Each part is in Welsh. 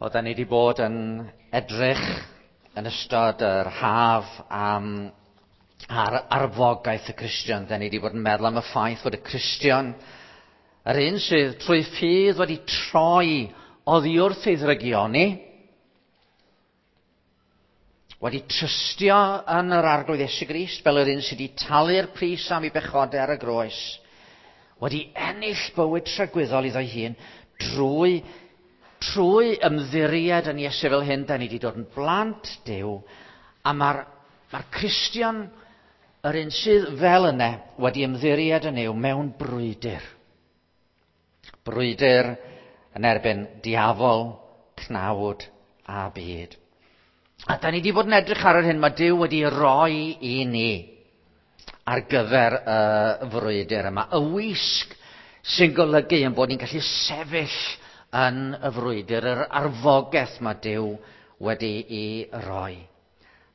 Wel, da ni wedi bod yn edrych yn ystod yr haf am ar arfogaeth y Cristion. Da ni wedi bod yn meddwl am y ffaith fod y Cristion, yr un sydd trwy ffydd wedi troi oddi wrth ei ddrygioni, wedi trystio yn yr Arglwydd Iesu Grist fel yr un sydd wedi talu'r pris am ei bechodau ar y groes, wedi ennill bywyd tragwyddol iddo'i hun trwy ymddiried yn Iesu fel hyn, da ni wedi dod yn blant Duw, a mae'r Cristion, yr un sydd fel yna, wedi ymddiried yn Nuw mewn brwydr. Brwydr yn erbyn diafol, cnawd a byd. A da ni wedi bod yn edrych ar yr hyn mae Duw wedi roi i ni ar gyfer y frwydr yma. Y wisg sy'n golygu ein bod ni'n gallu sefyll yn y frwydr, yr arfogaeth mae Duw wedi'i roi.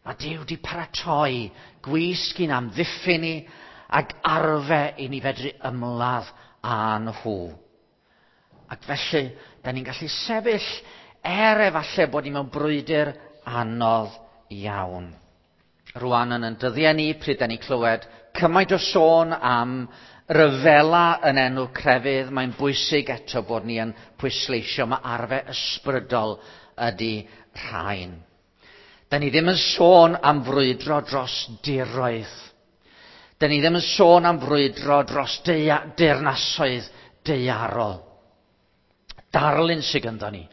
Mae Duw wedi paratoi gwisg i'n amddiffyn ni ac arfe i ni fedru ymladd â nhw. Ac felly, da ni'n gallu sefyll er efallai bod ni mewn brwydr anodd iawn. Rwan yn ein dyddiau ni, pryd da ni'n clywed cymaint o sôn am ryfela yn enw crefydd, mae'n bwysig eto bod ni yn pwysleisio mae arfe ysbrydol ydy rhain. Da ni ddim yn sôn am frwydro dros diroedd. Da ni ddim yn sôn am frwydro dros deyrnasoedd daearol. Darlun sydd ganddo ni.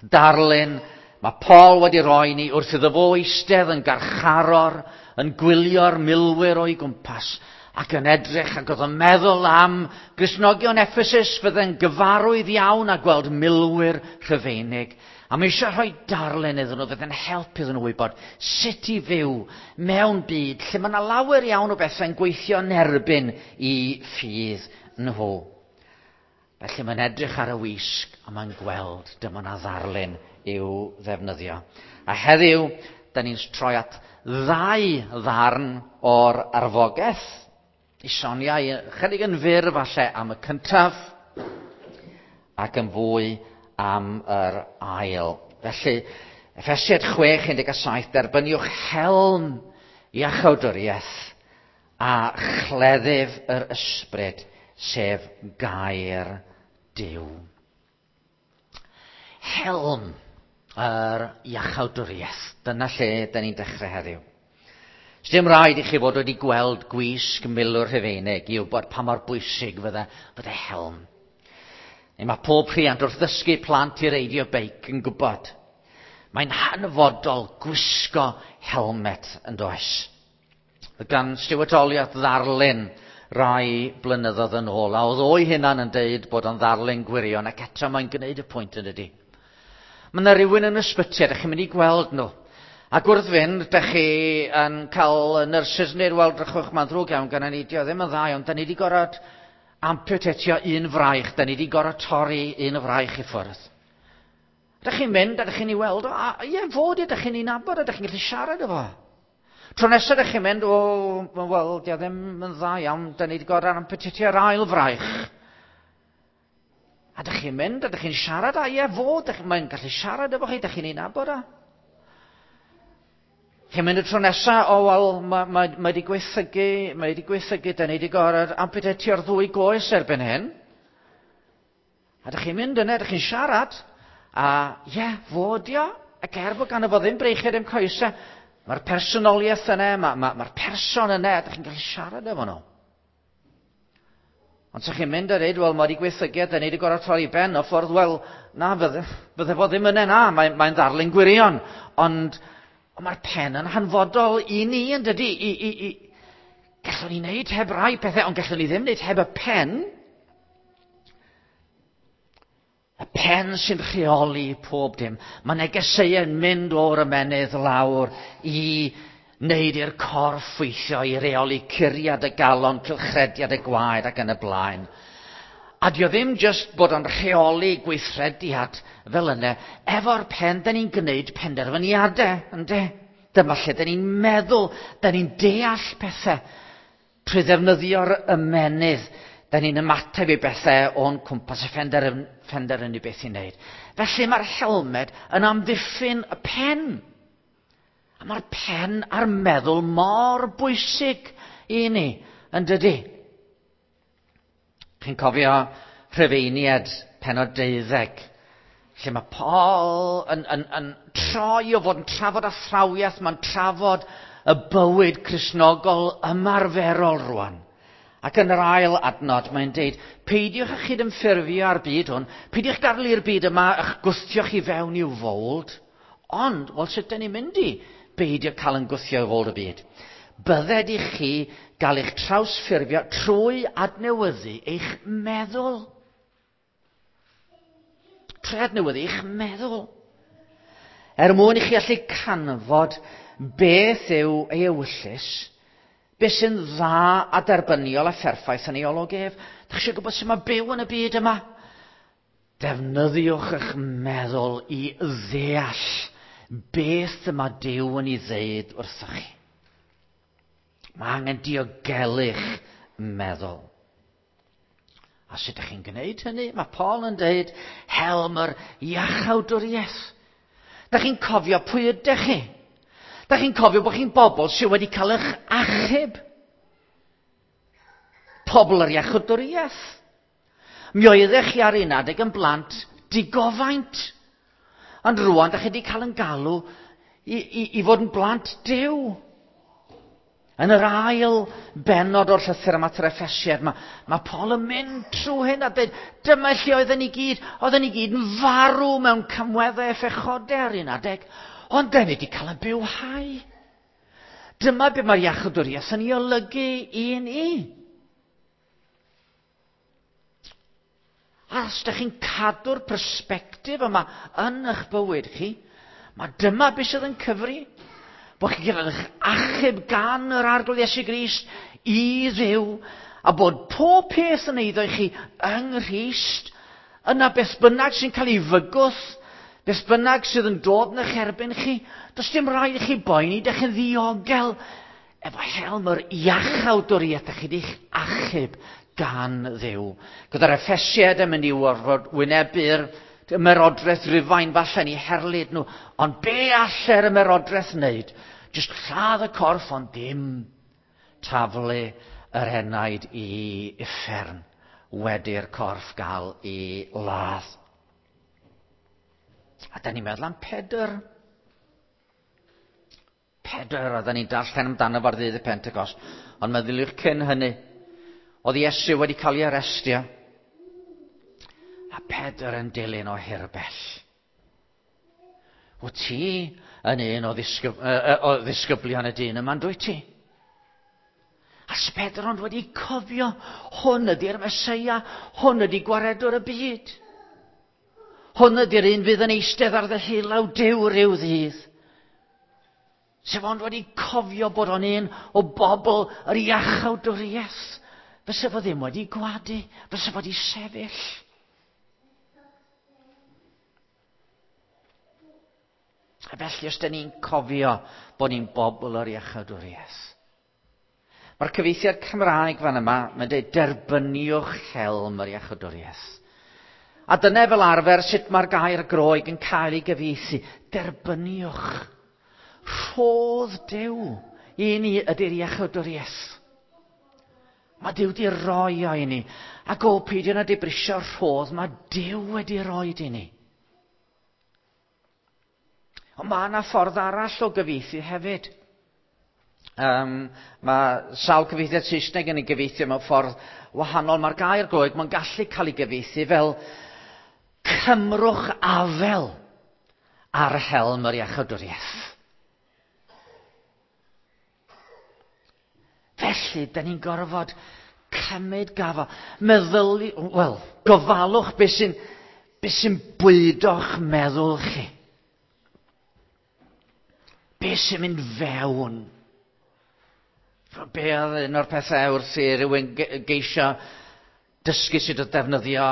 Darlun mae Paul wedi roi ni wrth iddo fo eistedd yn garcharor, yn gwylio'r milwyr o'i gwmpas, ac yn edrych ac oedd yn meddwl am Gristnogion Ephesus fydde'n gyfarwydd iawn a gweld milwyr Rhufeinig. A mae eisiau rhoi darlun iddyn nhw fydde'n helpu iddyn nhw wybod sut i fyw mewn byd lle mae yna lawer iawn o bethau'n gweithio yn erbyn i ffydd nhw. Felly mae'n edrych ar y wisg a mae'n gweld dyma na ddarlun i'w ddefnyddio. A heddiw, da ni'n troi at ddau ddarn o'r arfogaeth. I sonio chydig yn fyr falle am y cyntaf ac yn fwy am yr ail. Felly, Effesiaid 6:17, derbyniwch helm iachawdwriaeth a chleddyf yr ysbryd, sef gair Duw. Helm yr iachawdwriaeth. Dyna lle da ni'n dechrau heddiw. Sdim rhaid i chi fod wedi gweld gwisg milwr Rhufeinig i wybod pa mor bwysig fydde helm. Neu mae pob rhiant wrth ddysgu plant i reidio beic yn gwybod. Mae'n hanfodol gwisgo helmet yn does. Gan Stuart Olyott ddarlun rai blynyddoedd yn ôl, a oedd o'i hunan yn deud bod o'n ddarlun gwirion, ac eto mae'n gwneud y pwynt yn dydi. Mae yna rhywun yn ysbyty, a ydych chi'n mynd i gweld nhw. Ac wrth fynd, ydych chi yn cael nyrsys neu'r weld drychwch, mae'n ddrwg iawn gan ni, dio ddim yn dda iawn, da ni wedi gorfod amputatio un fraich, da ni wedi gorfod torri un fraich i ffwrdd. Ydych chi'n mynd, a ydych chi'n ei weld, a ie, fod, ydych chi'n ei nabod, ydych chi'n gallu siarad efo. Tro nesaf ydych chi'n mynd, o, wel, dio ddim yn dda iawn, da ni wedi gorfod amputatio'r ail fraich. A ydych chi'n mynd, ydych chi'n siarad, a ie, fod, mae'n gallu siarad efo chi, ydych chi'n ei nabod a. Chi'n mynd y tro nesaf, o, wel, mae wedi gweithygu, da ni wedi gorfod amputatio'r ddwy goes erbyn hyn. A ydych chi'n mynd yna, ydych chi'n siarad, a ie, fod io, ac er bod ganddo fo ddim breichiau ddim coesau, mae'r personoliaeth yna, mae'r person yna, ydych chi'n gallu siarad efo nhw. Ond sa'ch chi'n mynd a dweud, wel, mae wedi gweithygu, da ni wedi gorfod torri ben o ffordd, wel, na, fydde fo ddim yna, na, mae'n ddarlun gwirion. Ond mae'r pen yn hanfodol i ni, yn dydi? Gallwn ni wneud heb rai pethau, ond gallwn ni ddim wneud heb y pen. Y pen sy'n rheoli pob dim. Mae negeseuau'n mynd o'r ymennydd lawr i wneud i'r corff weithio, i reoli curiad y galon, cylchrediad y gwaed ac yn y blaen. A dio ddim jyst bod o'n rheoli gweithrediad fel yna. Efo'r pen, da ni'n gwneud penderfyniadau, ynde? Dyma lle da ni'n meddwl, da ni'n deall pethau. Trwy ddefnyddio'r ymennydd, Da ni'n ymateb i bethau o'n cwmpas a phenderfynu beth i wneud. Felly mae'r helmed yn amddiffyn y pen. A mae'r pen a'r meddwl mor bwysig i ni, yn dydy? Chi'n cofio Rhufeiniaid pennod 12, lle mae Paul yn troi o fod yn trafod athrawiaeth, mae'n trafod y bywyd Cristnogol ymarferol rwan. Ac yn yr ail adnod mae'n deud, peidiwch â chydymffurfio â'r byd hwn, peidiwch gadael i'r byd yma eich gwthio chi fewn i'w fowld, ond, wel, sut dyn ni'n mynd i beidio cael yn gwthio i fowld y byd? Bydded i chi gael eich trawsffurfio trwy adnewyddu eich meddwl. Trwy adnewyddu eich meddwl. Er mwyn i chi allu canfod beth yw ei ewyllys, beth sy'n dda a derbyniol a pherffaith yn ei olwg ef. Dach chi eisiau gwybod sut mae byw yn y byd yma? Defnyddiwch eich meddwl i ddeall beth y mae Duw yn ei ddeud wrthoch chi. Mae angen diogelu'ch meddwl. A sut ydych chi'n gwneud hynny? Mae Paul yn dweud, helm yr iachawdwriaeth. Dych chi'n cofio pwy ydych chi? Dych chi'n cofio bod chi'n bobl sydd wedi cael eich achub? Pobl yr iachawdwriaeth. Mi oeddech chi ar un adeg yn blant digofaint. Ond rwan, dych chi wedi cael yn galw i fod yn blant Duw. Yn yr ail bennod o'r llythyr yma at yr Effesiaid, mae Paul yn mynd trwy hyn a dweud, dyma lle oedden ni gyd, oedden ni gyd yn farw mewn camweddau a phechodau ar un adeg, ond dan ni wedi cael ein bywhau. Dyma be mae'r iachawdwriaeth yn ei olygu i ni. A os ydych chi'n cadw'r persbectif yma yn eich bywyd chi, mae dyma beth sydd yn cyfri. Bod chi'n cael eich achub gan yr Arglwydd Iesu Grist i Dduw, a bod pob peth yn eiddo i chi yng Nghrist, yna beth bynnag sy'n cael ei fygwth, beth bynnag sydd yn dod yn eich erbyn chi, does dim rhaid i chi boeni, dych chi'n ddiogel efo helm yr iachawdwriaeth, dych chi wedi'ch achub gan Dduw. Gyda'r Effesiaid yn mynd i orfod wynebu'r ymerodraeth Rufain falle yn eu herlid nhw, ond be alle'r ymerodraeth wneud? Jyst lladd y corff, ond dim taflu yr enaid i uffern wedi'r corff gael ei ladd. A da ni'n meddwl am Pedr. Pedr, oedden ni'n darllen amdano fo ar ddydd y Pentecost, ond meddyliwch cyn hynny, oedd Iesu wedi cael ei arestio, a Pedr yn dilyn o hirbell. Wyt ti yn un o ddisgyblion y dyn yma'n dwyt ti? A Pedr ond wedi cofio, hwn ydy'r Meseia, hwn ydy gwaredwr y byd. Hwn ydy'r un fydd yn eistedd ar ddeheulaw Duw ryw ddydd. Sef ond wedi cofio bod o'n un o bobl yr iachawdwriaeth. Fysa fo ddim wedi gwadu, fysa fo wedi sefyll. A felly, os da ni'n cofio bod ni'n bobl o'r iachawdwriaeth. Mae'r cyfieithiad Cymraeg fan yma, mae'n dweud derbyniwch helm yr iachawdwriaeth. A dyna fel arfer sut mae'r gair Groeg yn cael ei gyfieithu. Derbyniwch. Rhodd Duw i ni ydy'r iachawdwriaeth. Mae Duw wedi roi o i ni. Ac o, peidio na dibrisio'r rhodd mae Duw wedi roi i ni. Ond mae yna ffordd arall o gyfieithu hefyd. Mae sawl cyfieithiad Saesneg yn ei gyfieithu mewn ffordd wahanol. Mae'r gair Groeg, mae'n gallu cael ei gyfieithu fel cymrwch afel ar helm yr iachawdwriaeth. Felly, da ni'n gorfod cymryd gafel. Meddyli, wel, gofalwch beth sy'n be sy'n bwydo'ch meddwl chi. Be sy'n mynd fewn. Be oedd un o'r pethau wrth i rywun geisio dysgu sut o defnyddio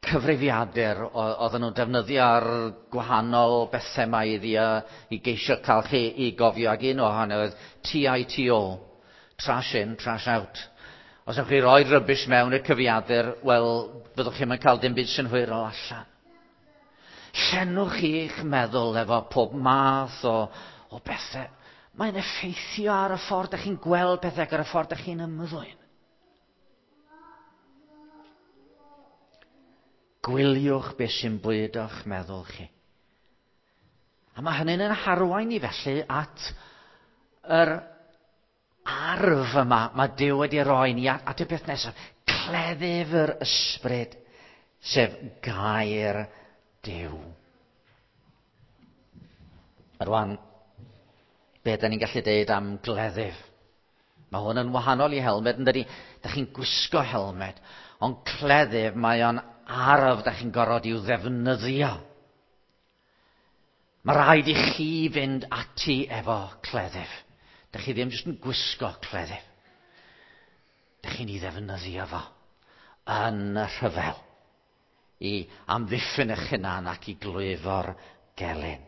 cyfrifiadur, oedden nhw'n defnyddio'r gwahanol bethau yma iddi i geisio cael chi i gofio, ac un ohonyn oedd TITO, trash in, trash out. Os ewch chi roi rubbish mewn i'r cyfrifiadur, wel, fyddwch chi'm yn cael dim byd synhwyrol allan. Llenwch chi'ch meddwl efo pob math o, o bethau. Mae'n effeithio ar y ffordd ydych chi'n gweld pethau ac ar y ffordd ydych chi'n ymddwyn. Gwyliwch beth sy'n bwydo'ch meddwl chi. A mae hynny'n yn harwain ni felly at yr arf yma mae Duw wedi roi ni at y peth nesaf, cleddyf yr ysbryd, sef gair Duw. Rwan, be da ni'n gallu deud am gleddyf? Mae hwn yn wahanol i helmed, yn dydi? Da chi'n gwisgo helmed, ond cleddyf mae o'n arf da chi'n gorfod i'w ddefnyddio. Mae rhaid i chi fynd ati efo cleddyf. Da chi ddim jyst yn gwisgo cleddyf. Da chi'n ei ddefnyddio fo yn y rhyfel i amddiffyn eich hunan ac i glwyfo'r gelyn.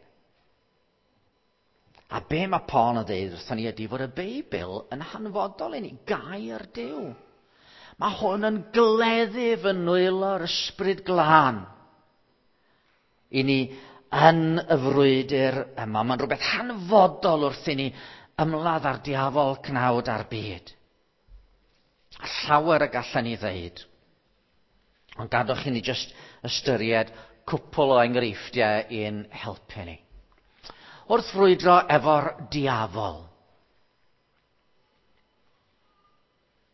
A be mae Paul yn dweud wrthon ni ydy fod y Beibl yn hanfodol i ni, gair Duw. Mae hwn yn gleddyf yn nwylo'r ysbryd glân i ni yn y frwydr yma. Mae'n rhywbeth hanfodol wrth i ni ymladd ar diafol cnawd a'r byd. A llawer y gallan ni ddeud. Ond gadwch i ni jyst ystyried cwpl o enghreifftiau i'n helpu ni. Wrth frwydro efo'r diafol,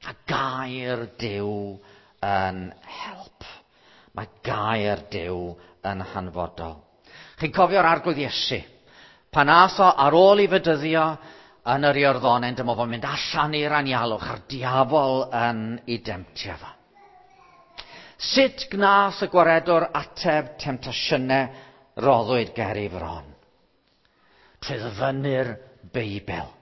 a gair Duw yn help. Mae gair Duw yn hanfodol. Chi'n cofio'r arglwydd Iesu? Pan ath o ar ôl i fedyddio yn yr Iorddonen, dyma fo'n mynd allan i'r anialwch a'r diafol yn ei demtio fo. Sut gnath y gwaredwr ateb temtasiynau roddwyd ger ei fron? Trwy ddyfynnu'r Beibl.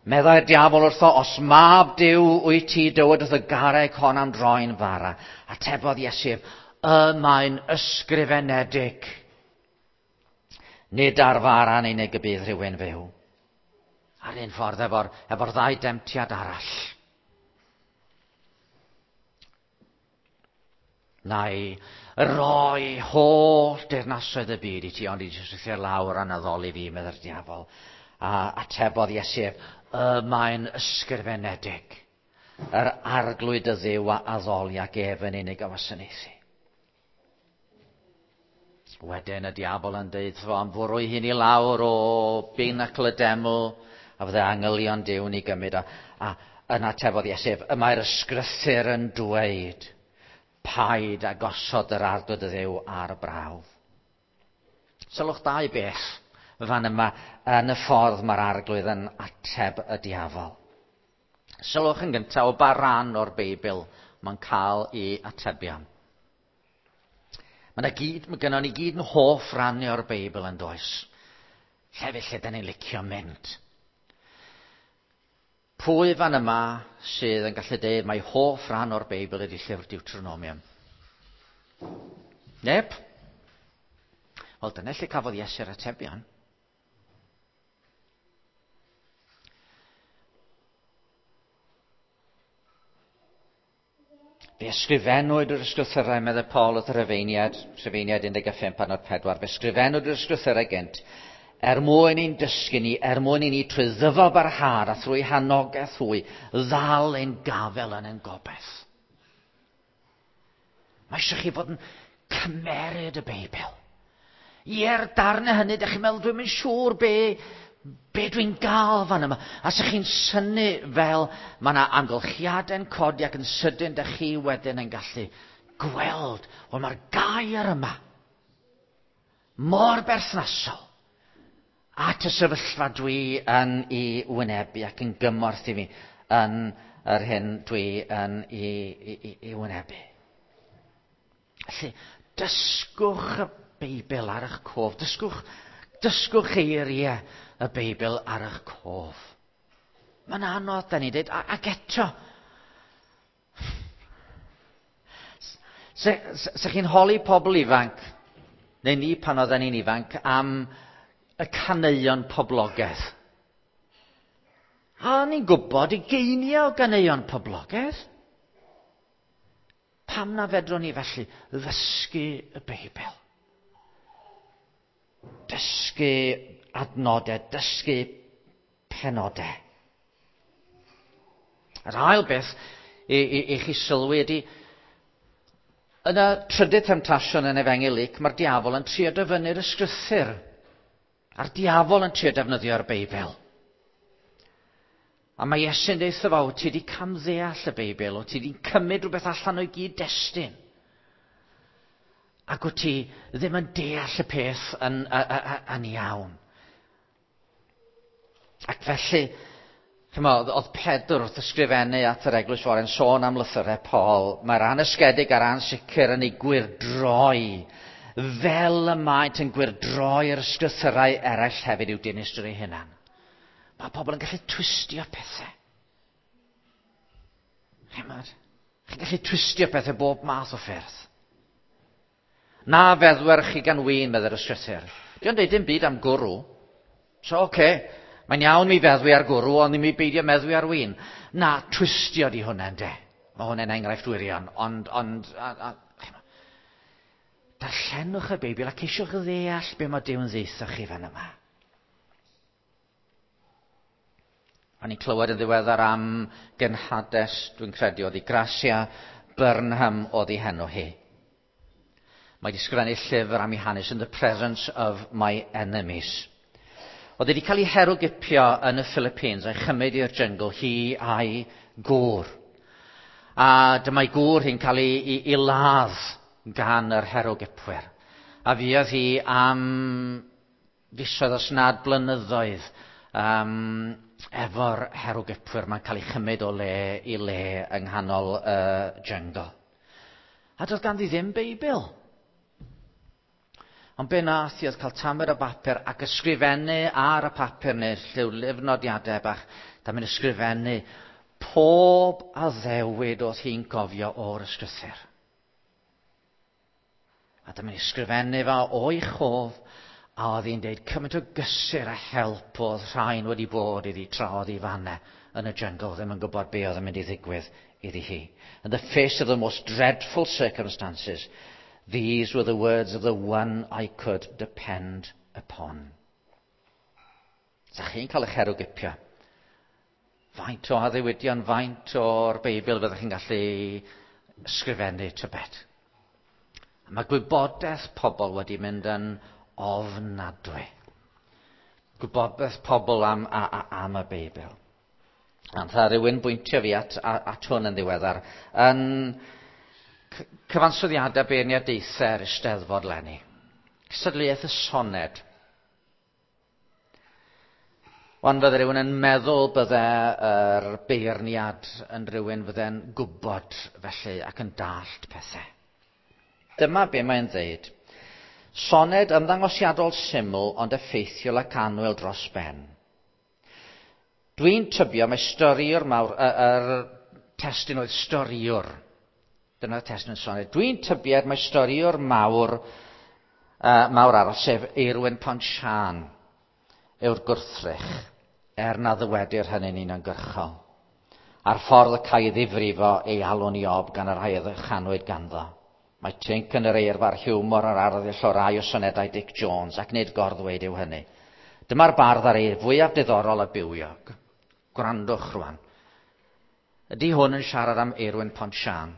Meddai'r diafol wrtho, os mab Duw wyt ti, dywed wrth y garreg hon am droi'n fara. Atebodd Iesu, y mae'n ysgrifenedig. Nid ar fara'n unig y bydd rhywun fyw. Ar un ffordd efo'r efo ddau demtiad arall. Na i roi holl deyrnasoedd y byd i ti, ond i ti syrthio lawr a'n addoli fi, meddai'r diafol. A atebodd Iesu, y mae'n ysgrifenedig. Yr arglwydd y Dduw a addoli ac ef yn unig a wasanaethu. Wedyn y diafol yn deud fo am fwrw ei hun i lawr o binacl y deml, a fydde angylion Duw'n ei gymryd. A, a yna atebodd Iesu, y mae'r ysgrythur yn dweud, paid a gosod yr arglwydd y Dduw ar y brawf. Sylwch dau beth fan yma yn y ffordd mae'r arglwydd yn ateb y diafol. Sylwch yn gyntaf o ba ran o'r Beibl mae'n cael ei atebion. Mae yna gyd, mae gynnon ni gyd yn hoff rannu o'r Beibl yn does. Llefydd lle da ni'n licio mynd. Pwy fan yma sydd yn gallu deud mai hoff ran o'r Beibl ydy llyfr Deuteronomium? Neb? Wel, dyna lle cafodd Iesu'r atebion. Fe ysgrifennwyd yr ysgrythyrau, meddai Paul wrth y Rhufeiniad, Rhufeiniad 15 adnod 4, fe ysgrifennwyd yr ysgrythyrau gynt, er mwyn i'n dysgu ni, er mwyn i ni trwy ddyfal barhad a thrwy hanogaeth hwy, ddal ein gafel yn ein gobaith. Mae eisiau chi fod yn cymeryd y Beibl. Ie'r darnau hynny, ydych chi'n meddwl, dwi'n mynd siŵr be, be dwi'n gael fan yma. A sa'ch chi'n synnu fel mae yna amgylchiadau'n codi ac yn sydyn, dych chi wedyn yn gallu gweld, wel mae'r gair yma mor berthnasol at y sefyllfa dwi yn ei wynebu ac yn gymorth i mi yn yr hyn dwi yn ei, ei, ei wynebu. Felly, dysgwch y Beibl ar eich cof. Dysgwch, dysgwch eiriau y Beibl ar eich cof. Mae'n anodd, da ni dweud, ac eto, se, se, se chi'n holi pobl ifanc, neu ni pan oedden ni'n ifanc, am y caneuon poblogaidd. A ni'n gwybod ugeiniau o ganeuon poblogaidd. Pam na fedrwn ni felly ddysgu y Beibl? Dysgu adnodau, dysgu penodau. Yr ail beth i, i, i chi sylwi ydy, yn y trydydd temtasiwn yn Efengyl Luc, mae'r diafol yn trio dyfynnu'r ysgrythur. A'r diafol yn trio defnyddio'r Beibl. A mae Iesu'n deutha fo, ti wedi camddeall y Beibl, o ti wedi cymryd rhywbeth allan o'i gyd-destun. Ac wyt ti ddim yn deall y peth yn, yn iawn. Ac felly, chymod, oedd Pedr wrth ysgrifennu at yr eglwys fore'n sôn am lythyrau Paul, mae'r anysgedig a'r ansicr yn ei gwyrdroi, fel y maent yn gwyrdroi'r ysgrythyrau eraill hefyd i'w dinistr eu hunan. Mae pobl yn gallu twistio pethau. Chymod? Chi'n gallu twistio pethau bob math o ffyrdd. Na feddwer chi gan win, meddai'r ysgrythur. Dio'n deud dim byd am gwrw. So, oce, okay, mae'n iawn mi feddwi ar gwrw, ond i mi beidio meddwi ar win. Na, twistio di hwnna, ynde. Mae hwnna'n enghraifft wirion, ond, ond, a, a, darllenwch y Beibl a ceisiwch ddeall be mae Duw'n ddeutha chi fan yma. O'n i'n clywed yn ddiweddar am genhades, dwi'n credu, oedd hi Gracia Burnham oedd hi henw hi. Mae wedi sgrifennu llyfr am ei hanes in the presence of my enemies. Oedd wedi cael ei herwgipio yn y Philippines a'i chymryd i'r jyngl hi a'i gŵr. A dyma'i gŵr hi'n cael ei, ei, ei ladd gan yr herwgipwyr. A fuodd hi am fisoedd os nad blynyddoedd um, efo'r herwgipwyr. Mae'n cael ei chymryd o le i le yng nghanol y uh, jungle. A doedd ganddi ddim Beibl. Ond be nath hi oedd cael tamed o bapur ac ysgrifennu ar y papur neu lliwlyfnodiadau bach. Da mynd ysgrifennu pob addewid oedd hi'n gofio o'r ysgrythur. A dyma ni ysgrifennu fo o'i chof, a oedd hi'n deud cymaint o gysur a help oedd rhain wedi bod iddi tra oedd hi fanna yn y jungle, ddim yn gwybod be oedd yn mynd i ddigwydd iddi hi. In the face of the most dreadful circumstances, these were the words of the one I could depend upon. Sa chi'n cael eich herwgipio? Faint o addewidion, faint o'r Beibl fyddwch chi'n gallu ysgrifennu tybed? A mae gwybodaeth pobl wedi mynd yn ofnadwy. Gwybodaeth pobl am, a, a, am y Beibl. A tha rhywun bwyntio fi at, at hwn yn ddiweddar. Yn cyfansoddiadau beirniadaethau yr Eisteddfod leni. Cystadleuaeth y soned. Wan fydde rhywun yn meddwl bydde yr beirniad yn rhywun fydde'n gwybod felly ac yn dallt pethau. Dyma be mae'n dweud. Soned ymddangosiadol syml ond effeithiol ac annwyl dros ben. Dwi'n tybio mae storiwr mawr, yr testun oedd storiwr. Dyna'r testun soned. Dwi'n tybied mae storiwr mawr, uh, mawr arall, sef Eirwyn Pontsian, yw'r gwrthrych, er na ddywedir hynny'n uniongyrchol. A'r ffordd y cae ei ddifrifo ei alw'n Iob gan y rhai a ddychanwyd ganddo. Mae tinc yn yr eirfa a'r hiwmor a'r arddull o rai o sonedau Dic Jones, ac nid gorddweud yw hynny. Dyma'r bardd ar ei fwyaf diddorol a bywiog. Gwrandwch rwan. Ydy hwn yn siarad am Eirwyn Pontsian?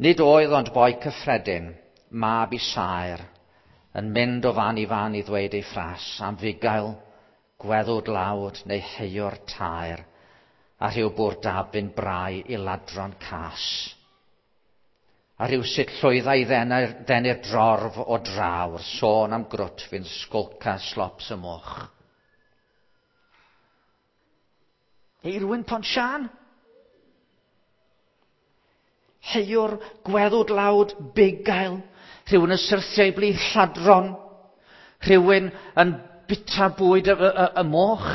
Nid oedd ond boi cyffredin, mab i saer, yn mynd o fan i fan i ddweud ei ffras am fugail, gweddw dlawd neu heiwr taer, a rhyw bwr dabyn brau i ladron cas. A rhywsut llwydda i ddenu'r drorf o draw wrth sôn am grwt fu'n sgolca slops y moch. Eirwyn Pontsian? Heiwr, gweddw dlawd, bugail, rhywun yn syrthio i blith lladron, rhywun yn bita bwyd y, y, y, y moch.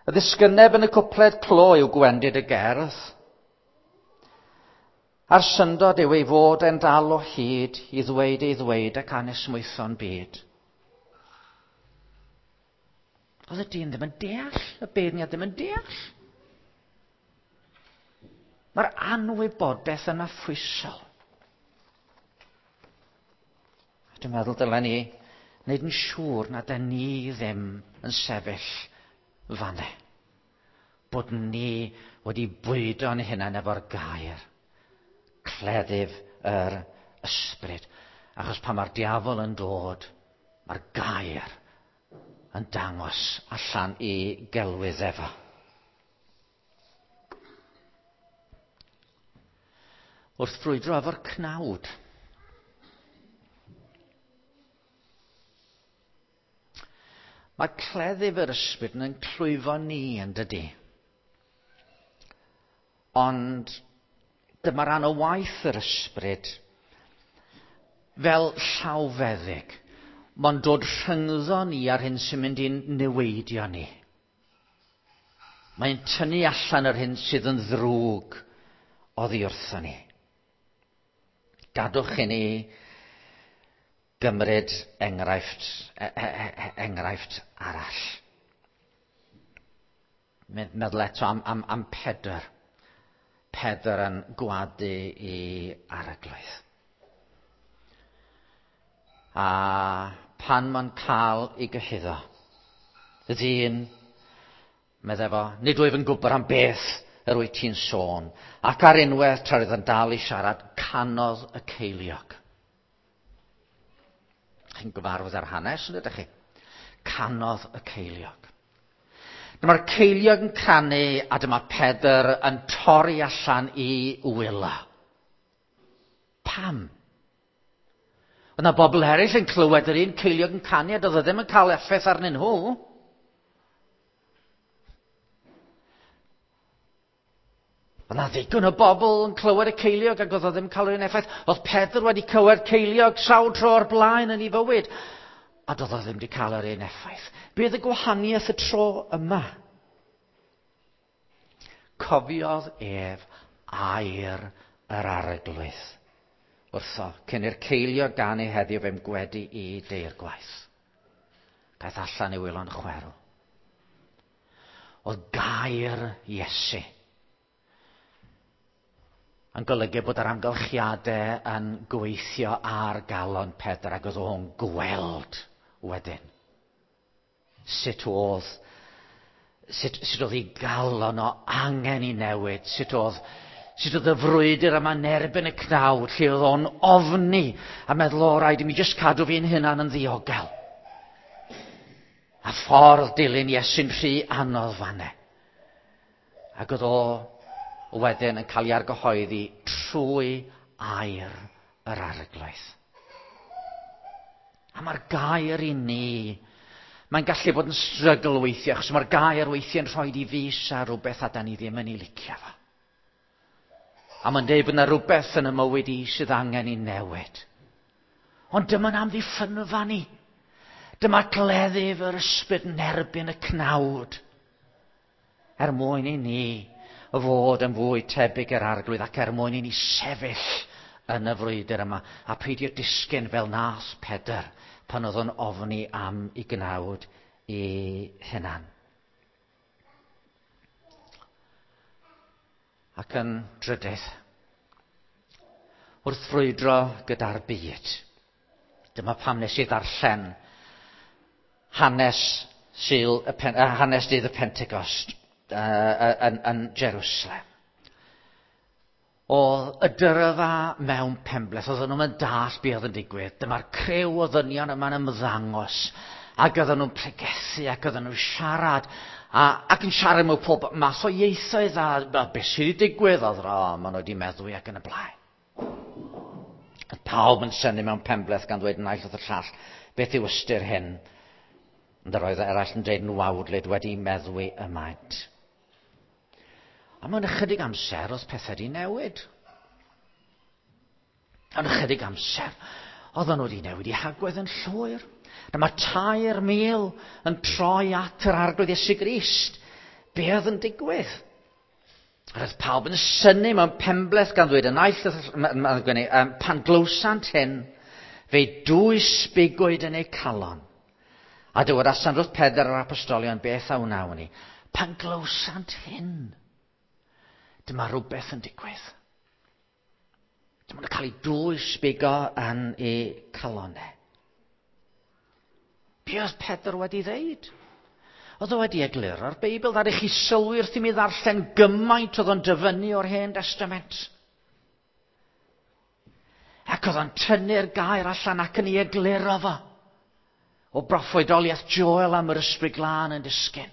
Y ddisgyneb yn y cwpled clo yw gwendid y gerdd. A'r syndod yw ei fod e'n dal o hyd i ddweud ei ddweud ac anesmwytho'n byd. Oedd y dyn ddim yn deall, y beirniad ddim yn deall. Mae'r anwybodaeth yn affwysol. A dwi'n meddwl dylen ni wneud yn siŵr nad ydyn ni ddim yn sefyll fanne. Bod ni wedi bwydo'n hunain efo'r gair. Cleddyf yr ysbryd. Achos pan mae'r diafol yn dod, mae'r gair yn dangos allan i gelwydd efo. Wrth frwydro efo'r cnawd. Mae cleddyf yr ysbryd yn clwyfo ni yn dydy. Ond dyma ran o waith yr ysbryd fel llawfeddyg. Mae'n dod rhyngddo ni ar hyn sy'n mynd i'n niweidio ni. Mae'n tynnu allan yr hyn sydd yn ddrwg oddi wrtho ni. Gadwch i ni gymryd enghraifft, e, e, e, enghraifft arall. Meddwl eto am, am, am Pedr. Pedr yn gwadu i arglwydd. A pan mae'n cael ei gyhuddo, y ddyn, meddai fo, nid wyf yn gwybod am beth yr wyt ti'n sôn. Ac ar unwaith, tra oedd yn dal i siarad, canodd y ceiliog. Chi'n gyfarwydd ar hanes, yn ydych chi? Canodd y ceiliog. Dyma'r ceiliog yn canu a dyma Pedr yn torri allan i wyla. Pam? Oedd yna bobl eraill yn clywed yr un ceiliog yn canu a doedd o ddim yn cael effaith arnyn nhw. Oedd yna ddigon o bobl yn clywed y ceiliog ac oedd o ddim yn cael yr un effaith. Oedd Pedr wedi clywed ceiliog sawl tro o'r blaen yn ei fywyd a doedd o ddim wedi cael yr un effaith. Be oedd y gwahaniaeth y tro yma? Cofiodd ef air yr arglwydd wrtho, cyn i'r ceiliog ganu heddiw fe'm gwedi i deir gwaith. Daeth allan i wylo'n chwerw. Oedd gair Iesu yn golygu bod yr amgylchiadau yn gweithio ar galon Pedr ac oedd o'n gweld wedyn sut oedd sut, sut oedd ei galon o angen i newid, sut oedd, sut oedd y frwydr yma yn erbyn y cnawd, lle oedd o'n ofni a meddwl, o, rhaid i mi jyst cadw fi'n hunan yn ddiogel. A ffordd dilyn Iesu'n rhy anodd fanne. Ac oedd o wedyn yn cael ei argyhoeddi trwy air yr arglwydd. A mae'r gair i ni, mae'n gallu bod yn strygl weithiau, achos mae'r gair weithiau yn rhoi i fus ar rhywbeth a da ni ddim yn ei licio fo. A mae'n dweud bod yna rhywbeth yn y mywyd i sydd angen i newid. Ond dyma'n amddiffynfa ni. Dyma gleddyf yr ysbryd yn erbyn y cnawd. Er mwyn i ni fod yn fwy tebyg i'r arglwydd ac er mwyn i ni sefyll yn y frwydr yma a peidio disgyn fel nath Pedr pan oedd o'n ofni am i gnawd i hunan. Ac yn drydydd, wrth frwydro gyda'r byd, dyma pam nes i ddarllen hanes, Sul, y pen, hanes dydd y Pentecost yn, yn Jerusalem. Oedd y dyrfa mewn penbleth, oedden nhw'n dall be oedd yn digwydd. Dyma'r criw o ddynion yma'n ymddangos, ac oedden nhw'n pregethu, ac oedden nhw'n siarad, a, ac yn siarad mewn pob math o ieithoedd, a, a beth sydd wedi digwydd, oedd o, maen nhw wedi meddwi ac yn y blaen. Oedd pawb yn synnu mewn penbleth gan ddweud naill wrth y llall, beth yw ystyr hyn? Ond yr oedd eraill yn dweud yn wawdlyd wedi meddwi y maent. A mewn ychydig amser oedd pethau wedi newid. Mewn ychydig amser, oedden nhw wedi newid i hagwedd yn llwyr. Dyma 3,000 yn troi at yr arglwydd Iesu Grist. Be oedd yn digwydd? Roedd pawb yn synnu mewn penbleth gan ddweud y naill pan glywsant hyn, fe dwys bigwyd yn eu calon A dywedasan wrth Pedr yr apostolion, beth a wnawn ni? Pan glywsant hyn, dyma rhywbeth yn digwydd. Dyma nhw'n cael ei dwys bigo yn eu calonau. Be oedd Pedr wedi ddeud? Oedd o wedi egluro'r Beibl, ddaru chi sylwi wrth i mi ddarllen gymaint oedd o'n dyfynnu o'r Hen Testament. Ac oedd o'n tynnu'r gair allan ac yn ei egluro fo. O broffwydoliaeth Joel am yr Ysbryd Glân yn disgyn.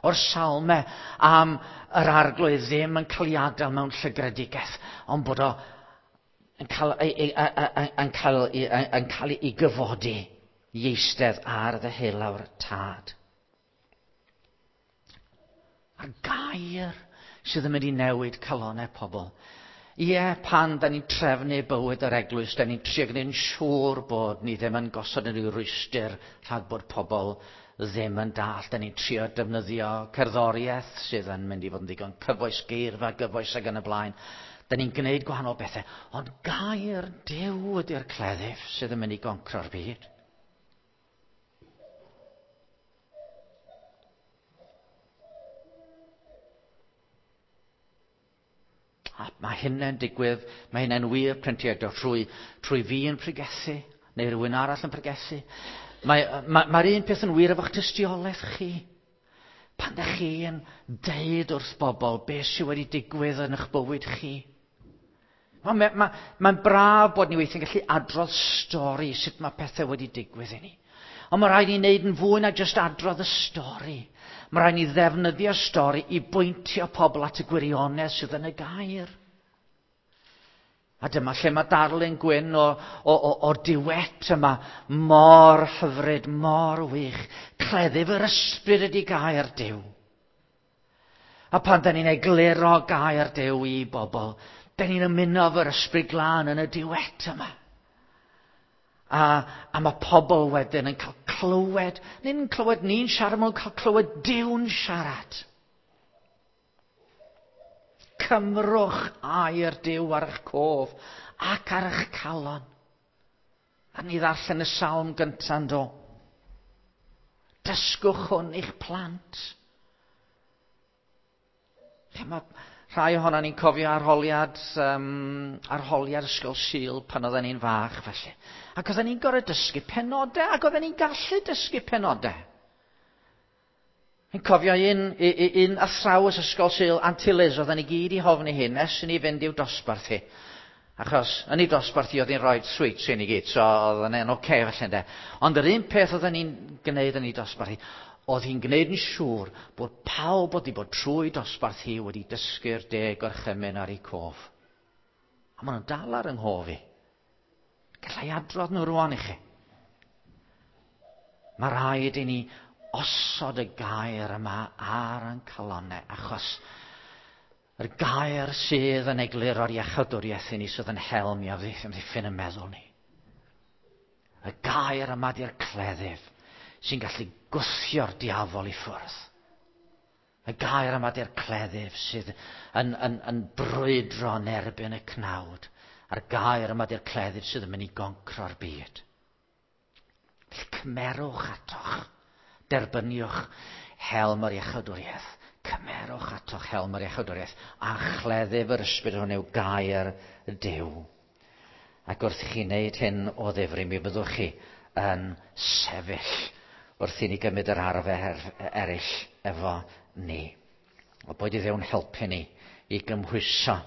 O'r salme am yr arglwydd ddim yn cael ei adael mewn llygredigaeth, ond bod o yn cael ei, ei, yn cael ei, yn cael ei gyfodi i eistedd ar ddeheulaw'r tad. A'r gair sydd yn mynd i newid calonau pobl. Ie, pan da ni'n trefnu bywyd yr eglwys, da ni'n trio gwneud yn siŵr bod ni ddim yn gosod unrhyw rwystr rhag bod pobl ddim yn dall. Da ni'n trio defnyddio cerddoriaeth sydd yn mynd i fod yn ddigon cyfoes, geirfa gyfoes ac yn y blaen. Da ni'n gwneud gwahanol bethau, ond gair Duw ydy'r cleddyf sydd yn mynd i goncro'r byd. A mae hynny'n digwydd, mae hynny'n wir printiau trwy, trwy fi yn pregethu, neu rhywun arall yn pregethu. Mae'r mae, mae un peth yn wir efo'ch tystiolaeth chi. Pan da chi'n deud wrth bobl beth sydd wedi digwydd yn eich bywyd chi. Mae'n ma, ma, ma braf bod ni weithiau'n gallu adrodd stori sut mae pethau wedi digwydd i ni. Ond mae rhaid i ni wneud yn fwy na jyst adrodd y stori. Mae rhaid ni ddefnyddio stori i bwyntio pobl at y gwirionedd sydd yn y gair. A dyma lle mae darlun gwyn o, o, o, o'r diwet yma mor hyfryd, mor wych. Cleddyf yr ysbryd ydy gair Duw. A pan da ni'n egluro gair Duw i bobl, da ni'n ymuno efo'r ysbryd glân yn y diwet yma. A, a mae pobl wedyn yn cael clywed, nid yn clywed ni'n siarad, mae'n cael clywed Duw'n siarad. Cymrwch air Duw ar eich cof ac ar eich calon. A ni ddarllen y salm gyntaf do. Dysgwch hwn i'ch plant. Mae rhai ohono ni'n cofio arholiad, um, arholiad ysgol Sul pan oedden ni'n fach felly. Ac oedden ni'n gorfod dysgu penodau, ac oedden ni'n gallu dysgu penodau. Fi'n cofio un, un, un athrawes ysgol Sul, Auntie Liz, oedden ni gyd i hofni hi, nes i ni fynd i'w dosbarth hi. Achos yn ei dosbarth hi oedd hi'n rhoi sweets i ni gyd, so oedd yn oce okay, felly ynde. Ond yr un peth oedden ni'n gwneud yn ei dosbarth hi, oedd hi'n gwneud yn siŵr bod pawb oedd wedi bod trwy dosbarth hi wedi dysgu'r deg gorchymyn ar ei cof. A maen nhw'n dal ar yng nghof i. Gallai adrodd nhw rwan i chi. Mae rhaid i ni osod y gair yma ar ein calonnau, achos yr gair sydd yn egluro'r iachawdwriaeth i ni sydd yn helm i amddiffyn y meddwl ni. Y gair yma di'r cleddyf sy'n gallu gwthio'r diafol i ffwrdd. Y gair yma di'r cleddyf sydd yn, yn, yn brwydro yn erbyn y cnawd. A'r gair yma di'r cleddyf sydd yn mynd i goncro'r byd. Felly cymerwch atoch, derbyniwch helm yr iachawdwriaeth. Cymerwch atoch helm yr iachawdwriaeth a chleddyf yr ysbryd hwn yw gair Duw. Ac wrth i chi wneud hyn o ddifri, mi fyddwch chi yn sefyll wrth i ni gymryd yr arfer eraill efo ni. O boed i Dduw'n helpu ni i gymhwyso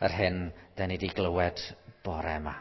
yr hyn da ni wedi glywed bore yma.